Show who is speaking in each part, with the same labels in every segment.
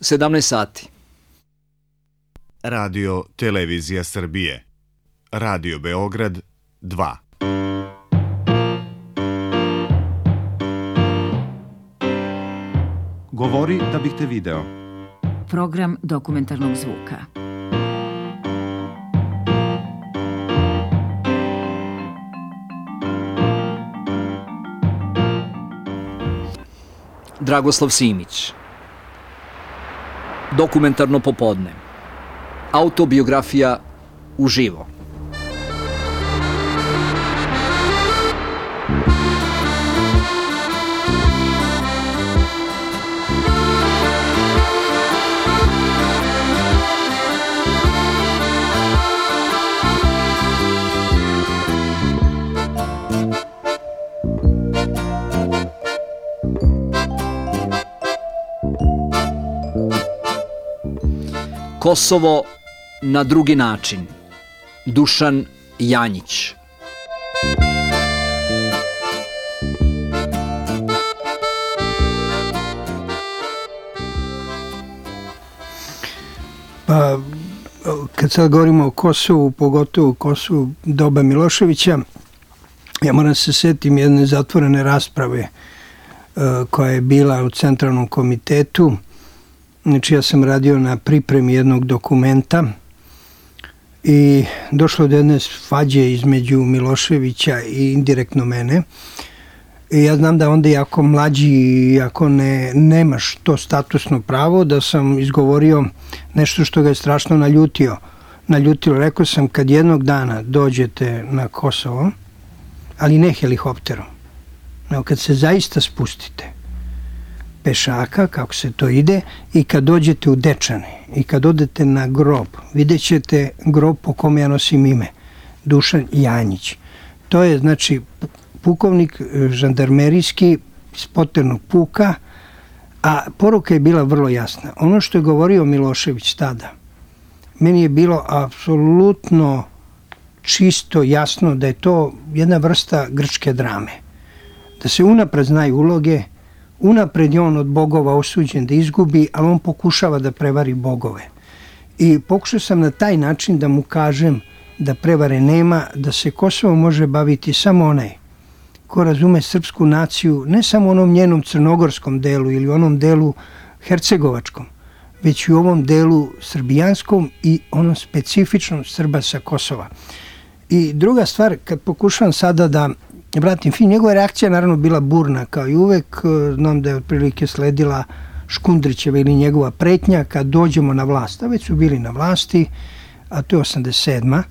Speaker 1: 17 sati.
Speaker 2: Radio Televizija Srbije. Radio Beograd 2.
Speaker 3: Govori da bih te video.
Speaker 4: Program dokumentarnog zvuka.
Speaker 1: Dragoslav Simić. Dokumentarno popodne. Autobiografija uživo. Kosovo na drugi način. Dušan Janjić.
Speaker 5: Pa, kad sad govorimo o Kosovu, pogotovo o Kosovu doba Miloševića, ja moram se setim jedne zatvorene rasprave koja je bila u Centralnom komitetu. Znači, ja sam radio na pripremi jednog dokumenta i došlo do jedne svađe između Miloševića i indirektno mene. I ja znam da onda jako mlađi i ako nemaš to statusno pravo, da sam izgovorio nešto što ga je strašno naljutilo. Rekao sam, kad jednog dana dođete na Kosovo, ali ne helikopterom, nego kad se zaista spustite pešaka, kako se to ide, i kad dođete u Dečane i kad odete na grob, vidjet ćete grob po kom ja nosim ime, Dušan Janjić. To je, znači, pukovnik žandarmerijski iz Poternog puka, a poruka je bila vrlo jasna. Ono što je govorio Milošević tada, meni je bilo apsolutno čisto jasno da je to jedna vrsta grčke drame. Da se unapred znaju uloge, unapred je on od bogova osuđen da izgubi, ali on pokušava da prevari bogove. I pokušao sam na taj način da mu kažem da prevare nema, da se Kosovo može baviti samo onaj ko razume srpsku naciju, ne samo onom njenom crnogorskom delu ili onom delu hercegovačkom, već i u ovom delu srbijanskom i onom specifičnom Srba sa Kosova. I druga stvar, kad pokušavam sada da vratim film, njegova reakcija naravno bila burna kao i uvek. Znam da je otprilike sledila Škundrićeva ili njegova pretnja kad dođemo na vlast, a već su bili na vlasti, a to je 87.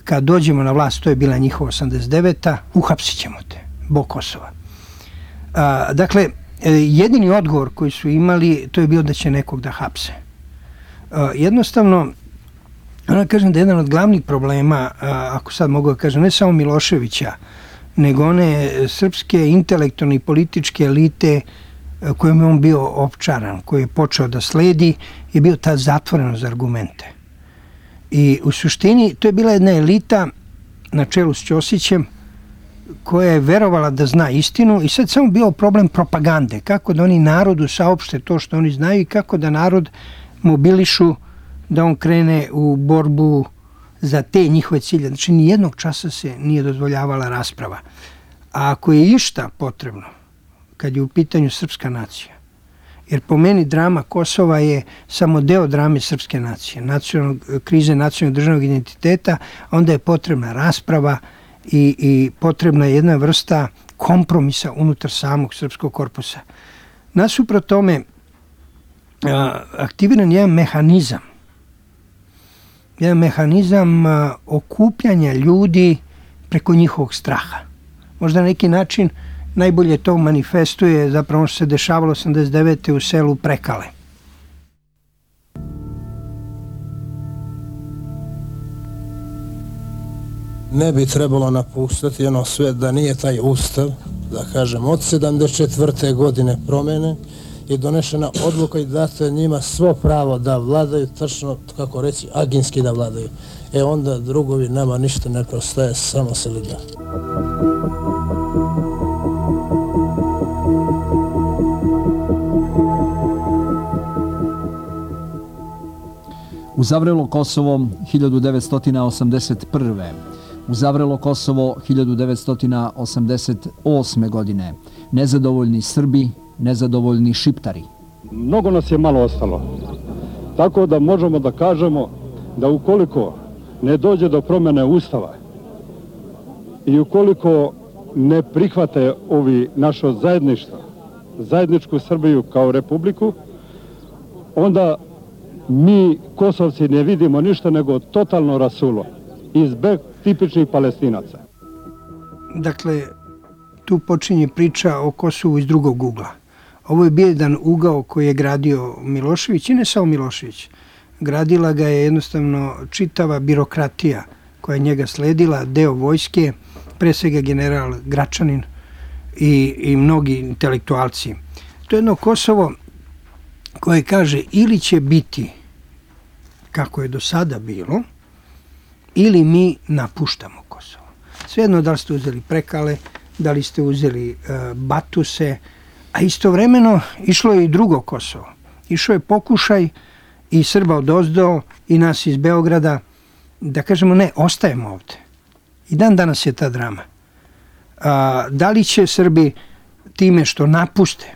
Speaker 5: Kad dođemo na vlast, to je bila njihova 89. Uhapsit ćemo te, Bog Kosova. Dakle, jedini odgovor koji su imali, to je bio da će nekog da hapse. Jednostavno, ona kažem da je jedan od glavnih problema, ako sad mogu da kažem, ne samo Miloševića, nego one srpske intelektualne i političke elite kojom je on bio opčaran, koji je počeo da sledi, je bio ta zatvorenost za argumente. I u suštini to je bila jedna elita na čelu s Ćosićem koja je verovala da zna istinu i sad samo bio problem propagande, kako da oni narodu saopšte to što oni znaju i kako da narod mobilišu da on krene u borbu za te njihove cilje. Znači, nijednog časa se nije dozvoljavala rasprava. A ako je išta potrebno, kad je u pitanju srpska nacija, jer po meni drama Kosova je samo deo drame srpske nacije, krize nacionalnog državnog identiteta, onda je potrebna rasprava i potrebna je jedna vrsta kompromisa unutar samog srpskog korpusa. Nasuprot tome, aktiviran je jedan mehanizam okupljanja ljudi preko njihovog straha. Možda na neki način najbolje to manifestuje zapravo ono što se dešavalo 89. u selu Prekale.
Speaker 6: Ne bi trebalo napuštati ono sve da nije taj ustav, da kažem, od 74. godine promene je donešena odluka i dato je njima svo pravo da vladaju, tačno, kako reći, aginski da vladaju. Onda drugovi nama ništa ne prostaje, samo se liga.
Speaker 1: U Zavrelo Kosovo 1981. U Zavrelo Kosovo 1988. godine. Nezadovoljni Srbi, nezadovoljni Šiptari.
Speaker 7: Mnogo nas je malo ostalo. Tako da možemo da kažemo da ukoliko ne dođe do promjene Ustava i ukoliko ne prihvate ovi naše zajedništvo, zajedničku Srbiju kao republiku, onda mi Kosovci ne vidimo ništa nego totalno rasulo i zbeg tipičnih Palestinaca.
Speaker 5: Dakle, tu počinje priča o Kosovu iz drugog ugla. Ovo je bio jedan ugao koji je gradio Milošević i ne samo Milošević. Gradila ga je jednostavno čitava birokratija koja je njega sledila, deo vojske, pre svega general Gračanin i mnogi intelektualci. To je jedno Kosovo koje kaže ili će biti kako je do sada bilo, ili mi napuštamo Kosovo. Svejedno da li ste uzeli Prekale, da li ste uzeli Batuse, a istovremeno išlo je i drugo Kosovo. Išao je pokušaj i Srba odozdo i nas iz Beograda da kažemo ne, ostajemo ovde. I dan danas je ta drama. Da li će Srbi time što napuste,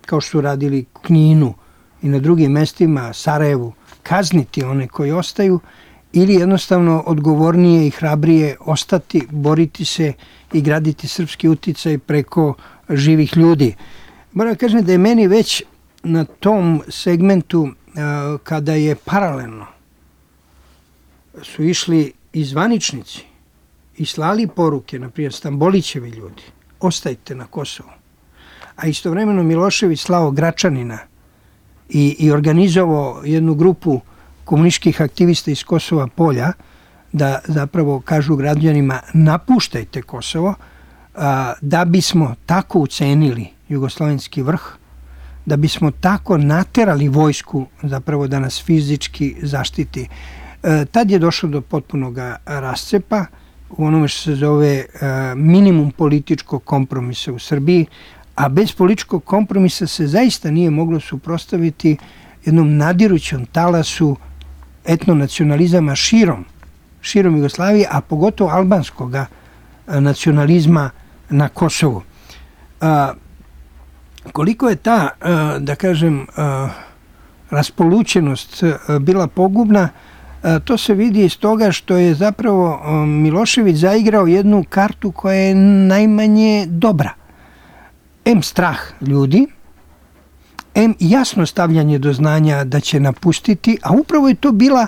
Speaker 5: kao što su radili Kninu i na drugim mestima, Sarajevu, kazniti one koji ostaju, ili jednostavno odgovornije i hrabrije ostati, boriti se i graditi srpski uticaj preko živih ljudi. Moram da kažem da je meni već na tom segmentu kada je paralelno su išli i zvaničnici i slali poruke, na primjer Stambolićevi ljudi, ostajte na Kosovu, a istovremeno Milošević slao Gračanina i organizovao jednu grupu komunističkih aktivista iz Kosova polja da zapravo kažu građanima napuštajte Kosovo, da bismo tako ucenili jugoslovenski vrh, da bismo tako naterali vojsku zapravo da nas fizički zaštiti. Tad je došlo do potpunog rascepa u onome što se zove minimum političkog kompromisa u Srbiji, a bez političkog kompromisa se zaista nije moglo suprotstaviti jednom nadirućom talasu etnonacionalizama širom Jugoslavije, a pogotovo albanskog nacionalizma na Kosovu. Koliko je ta, da kažem, raspolućenost bila pogubna, to se vidi iz toga što je zapravo Milošević zaigrao jednu kartu koja je najmanje dobra. M strah ljudi, M jasno stavljanje do znanja da će napustiti, a upravo je to bila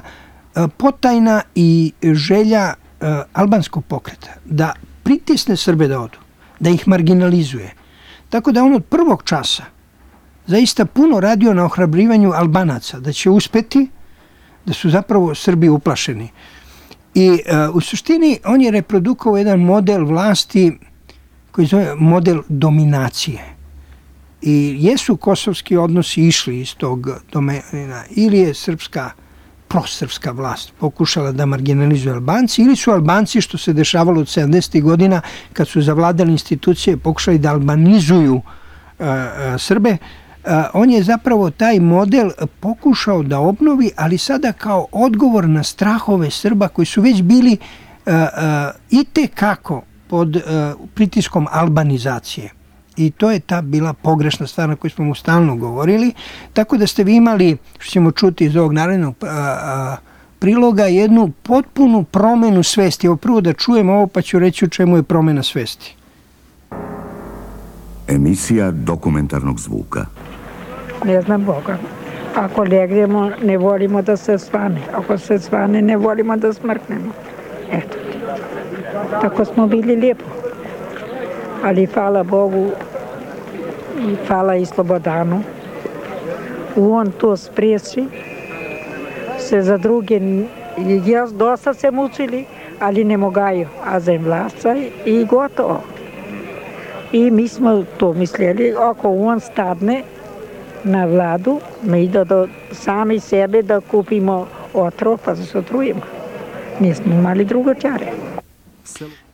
Speaker 5: potajna i želja albanskog pokreta, da pritisne Srbe da odu, da ih marginalizuje. Tako da on od prvog časa zaista puno radio na ohrabrivanju Albanaca, da će uspeti, da su zapravo Srbi uplašeni. I u suštini on je reprodukovao jedan model vlasti koji zove model dominacije. I jesu kosovski odnosi išli iz tog domena, ili je prosrpska vlast pokušala da marginalizuje Albanci, ili su Albanci, što se dešavalo od 70. godina, kad su zavladali institucije, pokušali da albanizuju Srbe. On je zapravo taj model pokušao da obnovi, ali sada kao odgovor na strahove Srba koji su već bili itekako pod pritiskom albanizacije. I to je ta bila pogrešna stvar na koju smo mu stalno govorili. Tako da ste vi imali, što ćemo čuti iz ovog narednog priloga, jednu potpunu promenu svesti. Evo prvo da čujem ovo pa ću reći u čemu je promena svesti.
Speaker 8: Emisija dokumentarnog zvuka.
Speaker 9: Ne znam Boga. Ako legnemo, ne volimo da se svane. Ako se svane, ne volimo da smrknemo. Eto. Tako smo bili lijepo. Ali hvala Bogu i hvala i Slobodanu. On to spriječi se za druge. Ja dosta se mučili, ali ne mogaju. A za vlasaj i gotovo. I mi smo to mislili, ako on stadne na vladu, mi da sami sebe da kupimo otrov pa da se otrujemo. Nismo imali drugočare.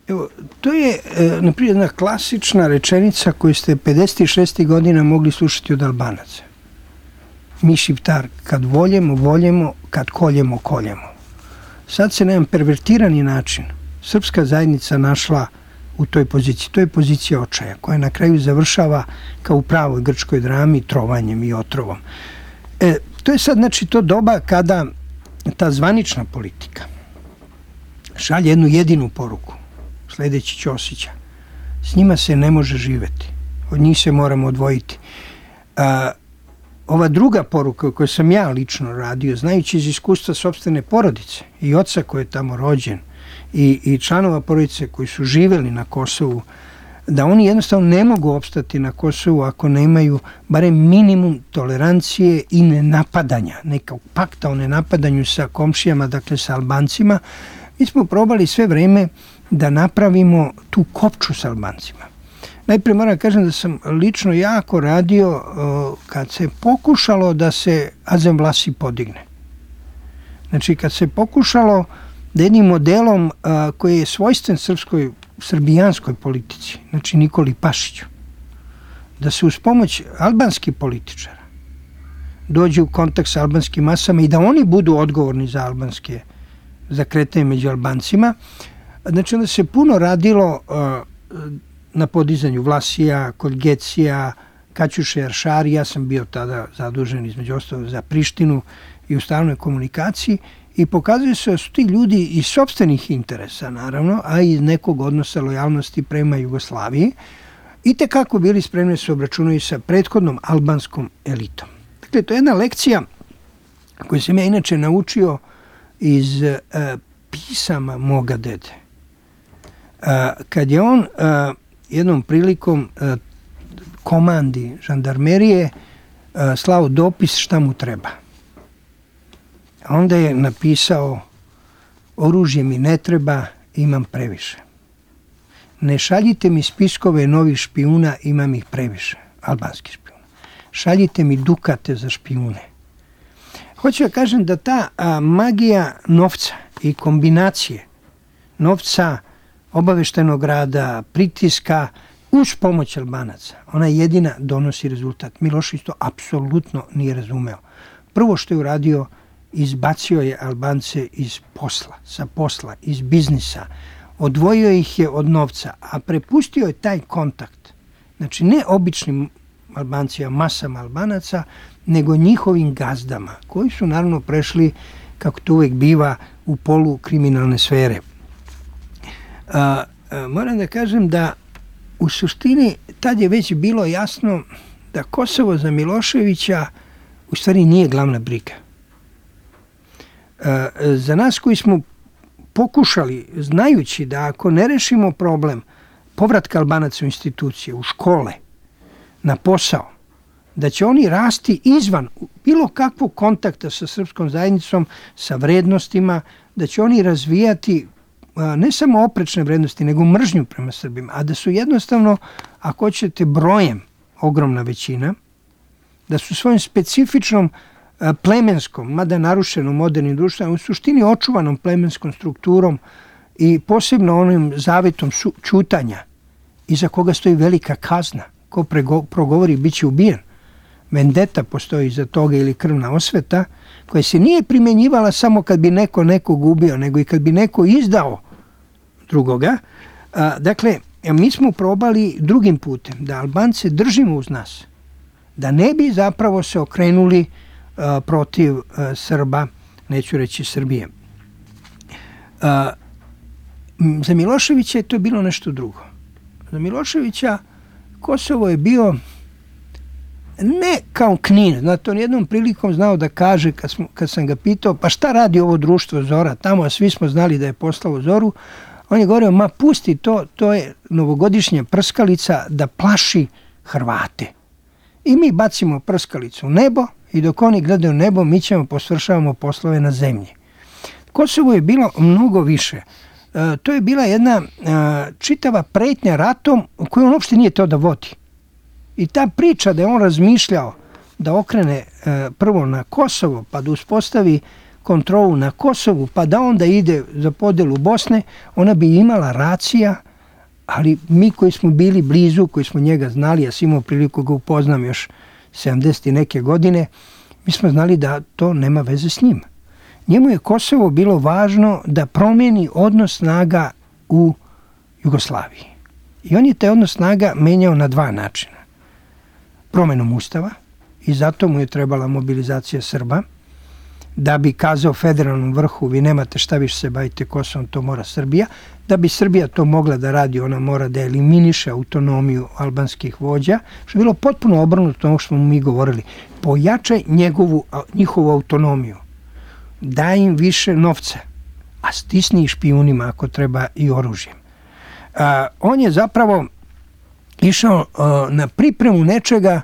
Speaker 5: Evo, to je, naprijed, jedna klasična rečenica koju ste 56. godina mogli slušati od Albanaca. mi Šiptar kad voljemo, kad koljemo. Sad se na jedan pervertirani način srpska zajednica našla u toj poziciji. To je pozicija očaja koja na kraju završava kao u pravoj grčkoj drami trovanjem i otrovom. To je sad znači to doba kada ta zvanična politika šalje jednu jedinu poruku, sledeći Ćosića. S njima se ne može živeti. Od njih se moramo odvojiti. Ova druga poruka koju sam ja lično radio, znajući iz iskustva sopstvene porodice i oca koji je tamo rođen i članova porodice koji su živeli na Kosovu, da oni jednostavno ne mogu opstati na Kosovu ako nemaju barem minimum tolerancije i nenapadanja, nekog pakta o nenapadanju sa komšijama, dakle sa Albancima. Mi smo probali sve vreme da napravimo tu kopču sa Albancima. Najprije moram kažem da sam lično jako radio kad se pokušalo da se Azem Vlasi podigne. Znači kad se pokušalo da jednim modelom koji je svojstven srbijanskoj politici, znači Nikoli Pašiću, da se uz pomoć albanskih političara dođe u kontakt sa albanskim masama i da oni budu odgovorni za kretanje među Albancima. Znači onda se puno radilo na podizanju Vlasija, kod Gecija, Kaćuše Aršari. Ja sam bio tada zadužen između ostalog za Prištinu i u stalnoj komunikaciji i pokazuje se da su ti ljudi iz sopstvenih interesa, naravno, a i iz nekog odnosa lojalnosti prema Jugoslaviji i tekako bili spremni se obračunaju sa prethodnom albanskom elitom. Dakle, to je jedna lekcija koju sam ja inače naučio iz pisama moga dede. Kad je on jednom prilikom komandi žandarmerije slao dopis šta mu treba. A onda je napisao: oružje mi ne treba, imam previše. Ne šaljite mi spiskove novih špijuna, imam ih previše, albanskih špijuna. Šaljite mi dukate za špijune. Hoću da kažem da ta magija novca i kombinacije novca, obaveštajnog rada, pritiska uz pomoć Albanaca, ona jedina donosi rezultat. Milošević to apsolutno nije razumeo. Prvo što je uradio, izbacio je Albance iz posla, iz biznisa, odvojio ih je od novca, a prepustio je taj kontakt, znači ne običnim Albancima, masama Albanaca, nego njihovim gazdama, koji su naravno prešli, kako to uvek biva, u polukriminalne sfere. Moram da kažem da u suštini tad je već bilo jasno da Kosovo za Miloševića u stvari nije glavna briga. Za nas koji smo pokušali, znajući da ako ne rešimo problem povratka Albanaca u institucije, u škole, na posao, da će oni rasti izvan bilo kakvog kontakta sa srpskom zajednicom, sa vrednostima, da će oni razvijati ne samo oprečne vrednosti, nego mržnju prema Srbima, a da su jednostavno, ako hoćete, brojem ogromna većina, da su svojim specifičnom plemenskom, mada narušenom modernim društvom, u suštini očuvanom plemenskom strukturom i posebno onim zavetom ćutanja, iza koga stoji velika kazna. Ko progovori, bit će ubijen. Vendeta postoji iza toga ili krvna osveta, koja se nije primjenjivala samo kad bi neko nekog ubio, nego i kad bi neko izdao drugoga. Dakle, mi smo probali drugim putem da Albance držimo uz nas, da ne bi zapravo se okrenuli protiv Srba, neću reći Srbije. Za Miloševića je to bilo nešto drugo. Za Miloševića Kosovo je bio ne kao Knin. Znate, on jednom prilikom znao da kaže, kad sam ga pitao, pa šta radi ovo društvo Zora tamo, a svi smo znali da je poslao Zoru, on je govorio, ma pusti to, to je novogodišnja prskalica da plaši Hrvate. I mi bacimo prskalicu u nebo i dok oni gledaju nebo, mi ćemo posvršavamo poslove na zemlji. Kosovo je bilo mnogo više. To je bila jedna čitava pretnja ratom koju on uopšte nije teo da vodi. I ta priča da je on razmišljao da okrene prvo na Kosovo, pa da uspostavi kontrolu na Kosovu, pa da onda ide za podelu Bosne, ona bi imala racija, ali mi koji smo bili blizu, koji smo njega znali, ja sam imao priliku ga upoznam još 70 i neke godine, mi smo znali da to nema veze s njim. Njemu je Kosovo bilo važno da promijeni odnos snaga u Jugoslaviji. I on je taj odnos snaga menjao na dva načina. Promjenom ustava, i zato mu je trebala mobilizacija Srba, da bi kazao federalnom vrhu, vi nemate šta više se bavite Kosovom, to mora Srbija. Da bi Srbija to mogla da radi, ona mora da eliminiše autonomiju albanskih vođa, što je bilo potpuno obrnuto ono što smo mi govorili. Pojačaj njihovu autonomiju, daj im više novca, a stisni špijunima ako treba i oružjem. On je zapravo išao na pripremu nečega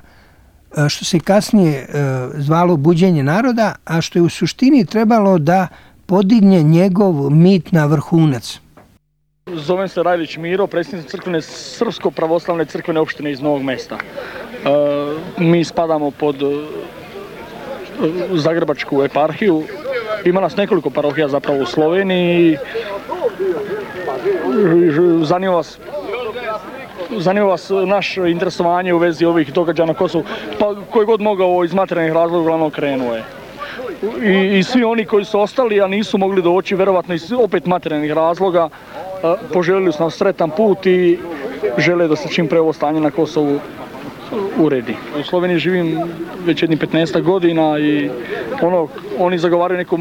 Speaker 5: što se kasnije zvalo buđenje naroda, a što je u suštini trebalo da podigne njegov mit na vrhunac.
Speaker 10: Zovem se Rajlić Miro, predsjednik crkvene Srpsko-pravoslavne crkvene opštine iz Novog Mesta. Mi spadamo pod Zagrebačku eparhiju. Ima nas nekoliko parohija zapravo u Sloveniji. Zanima vas naš interesovanje u vezi ovih događaja na Kosovu, pa koji god mogao iz materijalnih razloga uglavnom krenuo je. I svi oni koji su ostali, a nisu mogli doći, verovatno iz opet materijalnih razloga, poželjeli su nam sretan put i žele da se čim pre ovo stanje na Kosovu uredi. U Sloveniji živim već jednih 15 godina i oni zagovaraju neku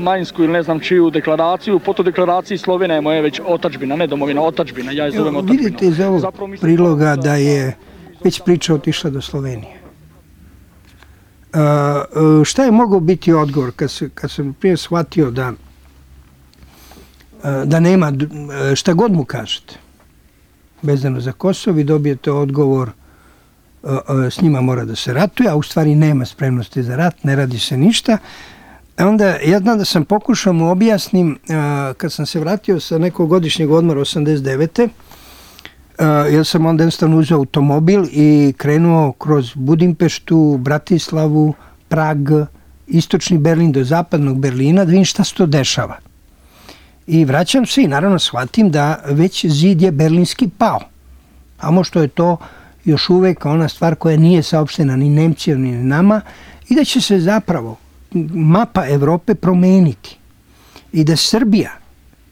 Speaker 10: manjinsku ili ne znam čiju deklaraciju. Po toj deklaraciji Slovenija je moja već otadžbina, ne domovina, otadžbina. Ja je zovem otadžbina.
Speaker 5: Vidite iz ovog priloga da je već priča otišla do Slovenije. Šta je mogao biti odgovor kad sam prije shvatio da nema, šta god mu kažete vezano za Kosovo, i dobijete odgovor s njima mora da se ratuje, a u stvari nema spremnosti za rat, ne radi se ništa. Onda ja znam da sam pokušao mu objasnim, kad sam se vratio sa nekog godišnjeg odmora 89. Ja sam onda jednostavno uzeo automobil i krenuo kroz Budimpeštu, Bratislavu, Prag, istočni Berlin do zapadnog Berlina da vidim šta se to dešava. I vraćam se i naravno shvatim da već zid je berlinski pao. A što je to još uvek ona stvar koja nije saopštena ni Nemcijom ni nama, i da će se zapravo mapa Evrope promeniti i da Srbija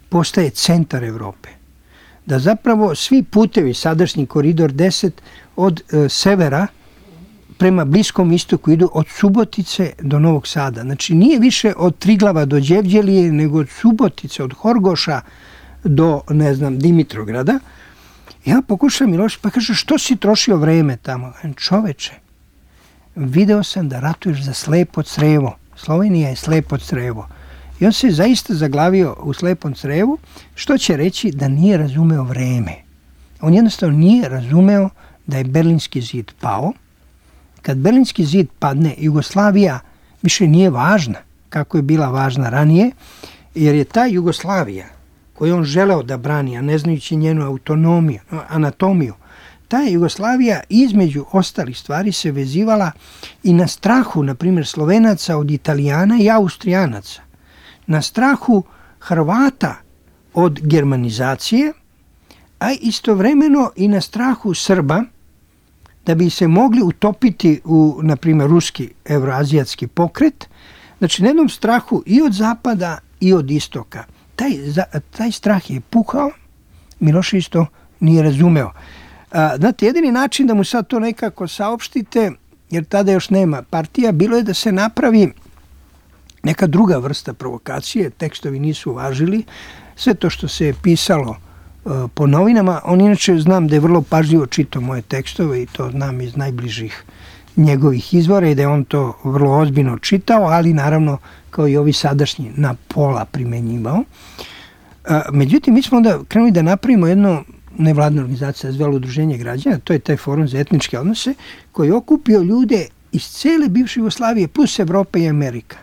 Speaker 5: postaje centar Evrope. Da zapravo svi putevi, sadašnji koridor 10 od severa prema Bliskom istoku idu od Subotice do Novog Sada. Znači nije više od Triglava do Đevđelije, nego od Subotice, od Horgoša do, ne znam, Dimitrograda. Ja pokušam Miloš, pa kaže, što si trošio vreme tamo? Čoveče, video sam da ratuješ za slepo crevo. Slovenija je slepo crevo. I on se zaista zaglavio u slepom crevu, što će reći da nije razumeo vreme. On jednostavno nije razumeo da je Berlinski zid pao. Kad Berlinski zid padne, Jugoslavija više nije važna kako je bila važna ranije, jer je ta Jugoslavija koju on želeo da brani, a ne znajući njenu autonomiju, anatomiju, ta Jugoslavija između ostalih stvari se vezivala i na strahu, na primjer, Slovenaca od Italijana i Austrijanaca, na strahu Hrvata od germanizacije, a istovremeno i na strahu Srba da bi se mogli utopiti u, na primjer, ruski evroazijatski pokret. Znači, na jednom strahu i od zapada i od istoka. Taj strah je pukao, Milošević to nije razumeo. Znate, jedini način da mu sad to nekako saopštite, jer tada još nema partija, bilo je da se napravi neka druga vrsta provokacije, tekstovi nisu uvažili, sve to što se je pisalo po novinama. On inače znam da je vrlo pažljivo čitao moje tekstove i to znam iz najbližih njegovih izvora i da je on to vrlo ozbiljno čitao, ali naravno kao i ovi sadašnji na pola primenjivao. Međutim, mi smo onda krenuli da napravimo jedno nevladna organizacija zvela Udruženje građana, to je taj forum za etničke odnose, koji je okupio ljude iz cele bivše Jugoslavije plus Evropa i Amerika.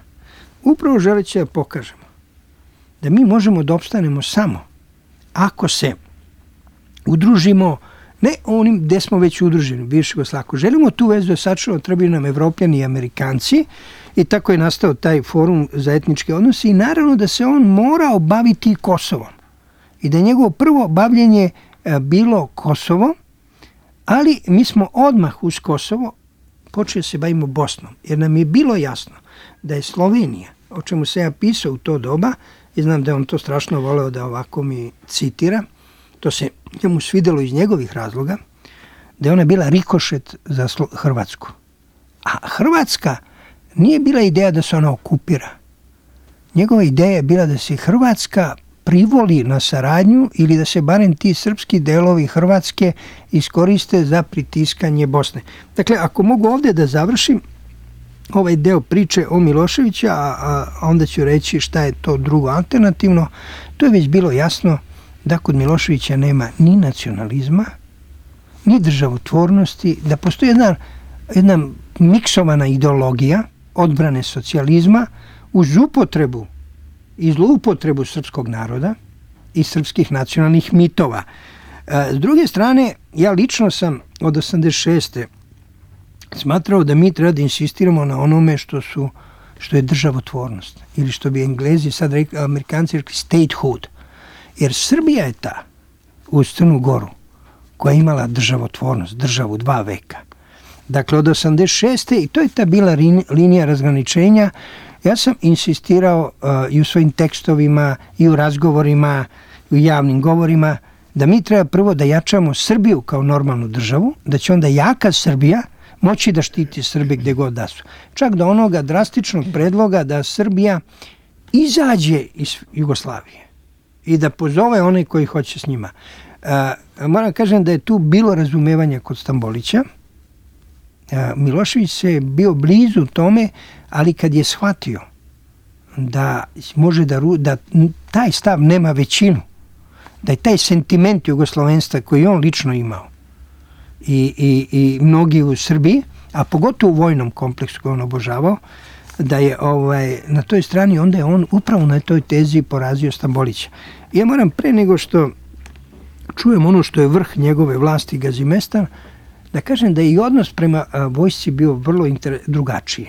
Speaker 5: Upravo želeći da pokažemo da mi možemo da opstanemo samo ako se udružimo, ne onim gde smo već udruženi, bivše Jugoslavije. Ako želimo tu vezu da sačuvamo, trebaju nam Evropljani i Amerikanci, i tako je nastao taj forum za etničke odnose, i naravno da se on morao baviti Kosovom. I da je njegovo prvo bavljenje bilo Kosovo, ali mi smo odmah uz Kosovo počeli se bavimo Bosnom, jer nam je bilo jasno da je Slovenija, o čemu se ja pisao u to doba, i znam da je on to strašno voleo da ovako mi citira, to se njemu svidelo iz njegovih razloga, da je ona bila rikošet za Hrvatsku. A Hrvatska nije bila ideja da se ona okupira. Njegova ideja je bila da se Hrvatska privoli na saradnju ili da se barem ti srpski delovi Hrvatske iskoriste za pritiskanje Bosne. Dakle, ako mogu ovdje da završim ovaj deo priče o Miloševiću, a onda ću reći šta je to drugo alternativno, to je već bilo jasno da kod Miloševića nema ni nacionalizma, ni državotvornosti, da postoji jedna miksovana ideologija odbrane socijalizma uz upotrebu i zloupotrebu srpskog naroda i srpskih nacionalnih mitova. S druge strane, ja lično sam od 86. smatrao da mi treba da insistiramo na onome što je državotvornost, ili što bi Englezi sad rekli, Amerikanci rekli statehood. Jer Srbija je ta uz Crnu Goru koja je imala državotvornost, državu 2 veka. Dakle, od 86. i to je ta bila linija razgraničenja. Ja sam insistirao i u svojim tekstovima, i u razgovorima, i u javnim govorima, da mi treba prvo da jačamo Srbiju kao normalnu državu, da će onda jaka Srbija moći da štiti Srbe gde god da su. Čak do onoga drastičnog predloga da Srbija izađe iz Jugoslavije i da pozove one koji hoće s njima. Moram kažem da je tu bilo razumevanja kod Stambolića. Milošević se bio blizu tome, ali kad je shvatio da može da taj stav nema većinu, da je taj sentiment jugoslovenstva koji on lično imao i mnogi u Srbiji, a pogotovo u vojnom kompleksu koji on obožavao, da je na toj strani, onda je on upravo na toj tezi porazio Stambolića. Ja moram pre nego što čujem ono što je vrh njegove vlasti Gazimestan, da kažem da je i odnos prema vojsci bio vrlo drugačiji.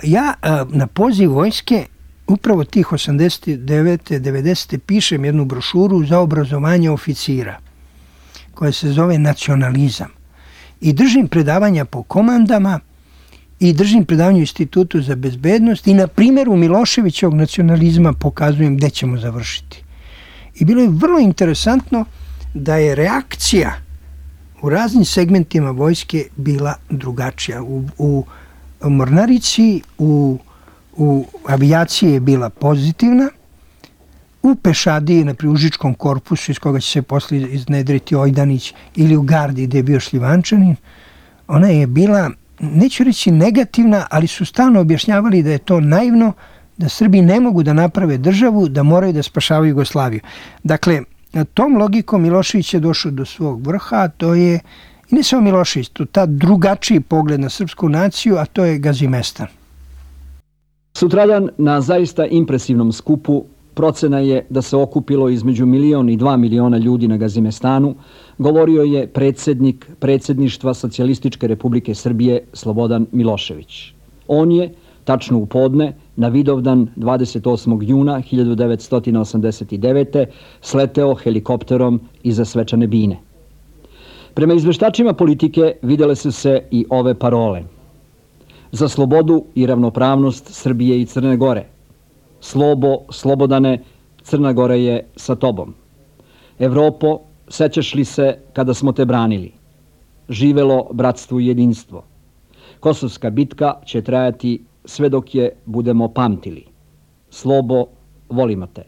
Speaker 5: Ja na poziv vojske upravo tih 89. 90. pišem jednu brošuru za obrazovanje oficira koja se zove Nacionalizam. I držim predavanja po komandama i držim predavanje u Institutu za bezbednost i na primjeru Miloševićevog nacionalizma pokazujem gde ćemo završiti. I bilo je vrlo interesantno da je reakcija u raznim segmentima vojske bila drugačija. U mornarici, u avijaciji je bila pozitivna, u pešadiji, na Užičkom korpusu iz koga će se posle iznedriti Ojdanić, ili u gardi gde je bio Šljivančanin, ona je bila, neću reći negativna, ali su stalno objašnjavali da je to naivno, da Srbi ne mogu da naprave državu, da moraju da spašavaju Jugoslaviju. Dakle, tom logikom Milošević je došao do svog vrha, a to je, i ne samo Milošević, to ta drugačiji pogled na srpsku naciju, a to je Gazimestan.
Speaker 11: Sutradan na zaista impresivnom skupu procena je da se okupilo između 1 i 2 miliona ljudi na Gazimestanu, govorio je predsjednik predsjedništva Socijalističke Republike Srbije Slobodan Milošević. On je, tačno u podne, na Vidovdan 28. juna 1989. sleteo helikopterom iza svečane bine. Prema izveštačima politike videle su se i ove parole. Za slobodu i ravnopravnost Srbije i Crne Gore. Slobo, Slobodane, Crna Gora je sa tobom. Evropo, sećaš li se kada smo te branili? Živelo bratstvo i jedinstvo. Kosovska bitka će trajati sve dok je budemo pamtili. Slobo, volimo te.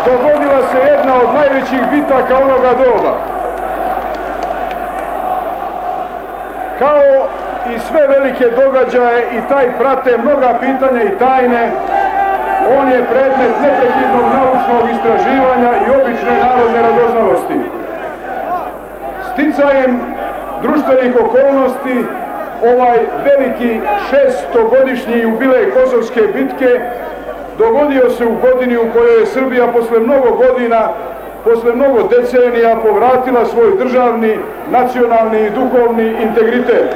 Speaker 12: Dogodila se jedna od najvećih bitaka onoga doba. Kao i sve velike događaje i taj prate mnoga pitanja i tajne. On je predmet neprekidnog naučnog istraživanja i obične narodne radoznalosti. Sticajem društvenih okolnosti ovaj veliki 600-godišnji jubilej Kosovske bitke dogodio se u godini u kojoj je Srbija posle mnogo godina, posle mnogo decenija povratila svoj državni, nacionalni i duhovni integritet.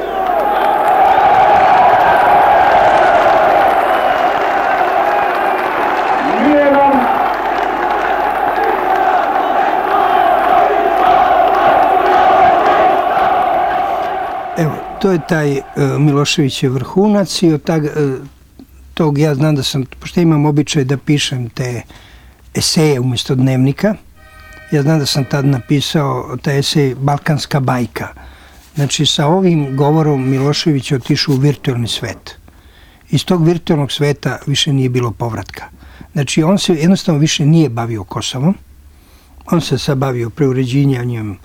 Speaker 5: Evo, to je taj Miloševićev vrhunac i od tog ja znam da sam, pošto imam običaj da pišem te eseje umjesto dnevnika, ja znam da sam tad napisao taj esej Balkanska bajka. Znači, sa ovim govorom Milošević je otišao u virtualni svet. Iz tog virtualnog sveta više nije bilo povratka. Znači, on se jednostavno više nije bavio Kosovom, on se sad bavio preuređivanjem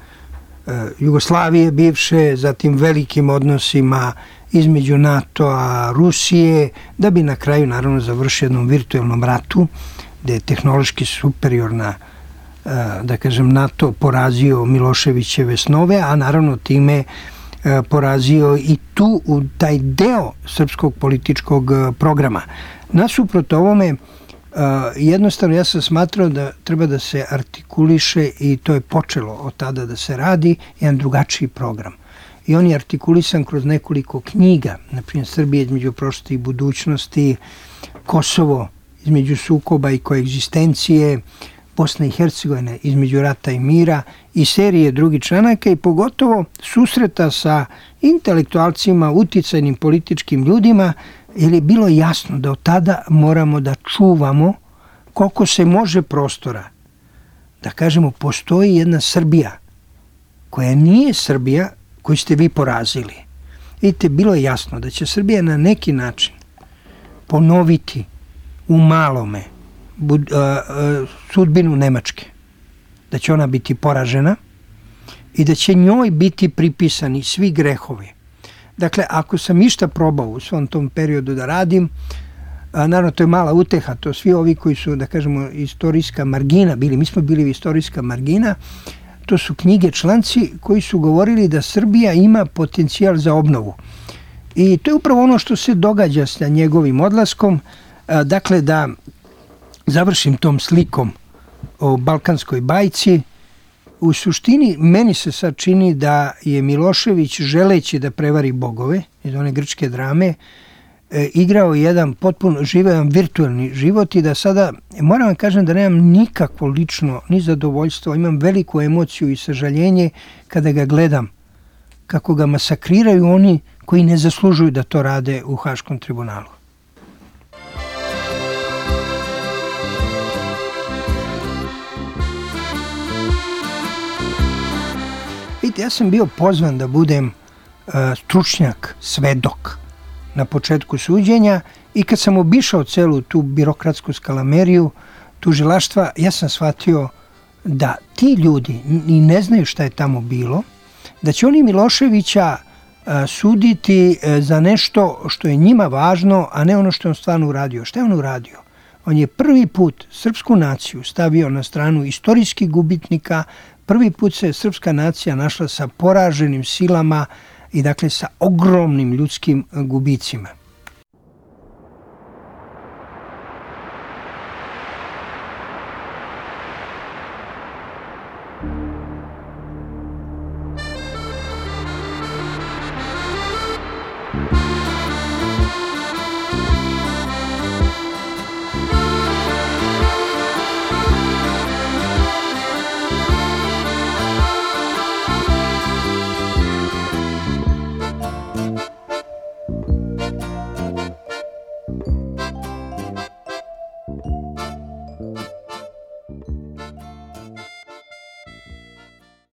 Speaker 5: Jugoslavije bivše, zatim velikim odnosima između NATO-a, Rusije, da bi na kraju naravno završio jednom virtualnom ratu, gde je tehnološki superiorna, da kažem, NATO porazio Miloševićeve snove, a naravno time porazio i tu u taj deo srpskog političkog programa. Nasuprot ovome, jednostavno ja sam smatrao da treba da se artikuliše, i to je počelo od tada da se radi, jedan drugačiji program. I on je artikulisan kroz nekoliko knjiga, na primjer Srbija između prošlosti i budućnosti, Kosovo između sukoba i koegzistencije, Bosna i Hercegovina između rata i mira i serije drugih članaka i pogotovo susreta sa intelektualcima, uticajnim političkim ljudima, jer je bilo jasno da od tada moramo da čuvamo koliko se može prostora. Da kažemo, postoji jedna Srbija koja nije Srbija koju ste vi porazili. Vidite, bilo je jasno da će Srbija na neki način ponoviti u malome sudbinu Nemačke. Da će ona biti poražena i da će njoj biti pripisani svi grehovi. Dakle, ako sam išta probao u svom tom periodu da radim, naravno to je mala uteha, to svi ovi koji su, da kažemo, istorijska margina bili, mi smo bili istorijska margina, to su knjige, članci koji su govorili da Srbija ima potencijal za obnovu. I to je upravo ono što se događa sa njegovim odlaskom, dakle da završim tom slikom o balkanskoj bajci. U suštini, meni se sad čini da je Milošević, želeći da prevari bogove iz one grčke drame, igrao jedan potpuno živan virtualni život i da sada, moram vam kažem da nemam nikakvo lično ni zadovoljstvo, imam veliku emociju i sažaljenje kada ga gledam, kako ga masakriraju oni koji ne zaslužuju da to rade u Haškom tribunalu. Vidite, ja sam bio pozvan da budem stručnjak, svedok na početku suđenja i kad sam obišao celu tu birokratsku skalameriju tužilaštva, ja sam shvatio da ti ljudi ni ne znaju šta je tamo bilo, da će oni Miloševića suditi za nešto što je njima važno, a ne ono što je on stvarno uradio. Šta je on uradio? On je prvi put srpsku naciju stavio na stranu istorijskih gubitnika. Prvi put se srpska nacija našla sa poraženim silama i dakle sa ogromnim ljudskim gubicima.